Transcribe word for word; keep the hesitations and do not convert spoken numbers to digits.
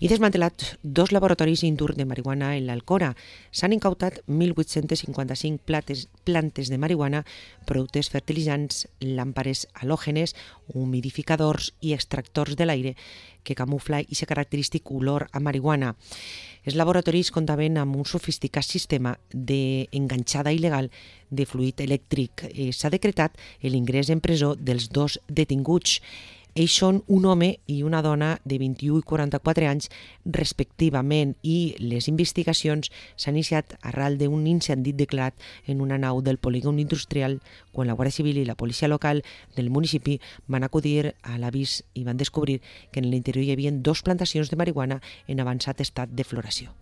I desmantelats dos laboratoris Indur de marihuana en l'Alcora. S'han incautat mil vuit-cents cinquanta-cinc plates, plantes de marihuana, productes fertilitzants, làmpares halògenes, humidificadors i extractors de l'aire que camufla i aquest característic olor a marihuana. Els laboratoris comptaven amb un sofisticat sistema d'enganxada il·legal de fluid elèctric. S'ha decretat l'ingrés en presó dels dos detinguts. Ells són un home i una dona de vint-i-u i quaranta-quatre anys respectivament i les investigacions s'han iniciat arran d'un incendi declarat en una nau del polígon industrial quan la Guàrdia Civil i la policia local del municipi van acudir a l'avís i van descobrir que en l'interior hi havia dos plantacions de marihuana en avançat estat de floració.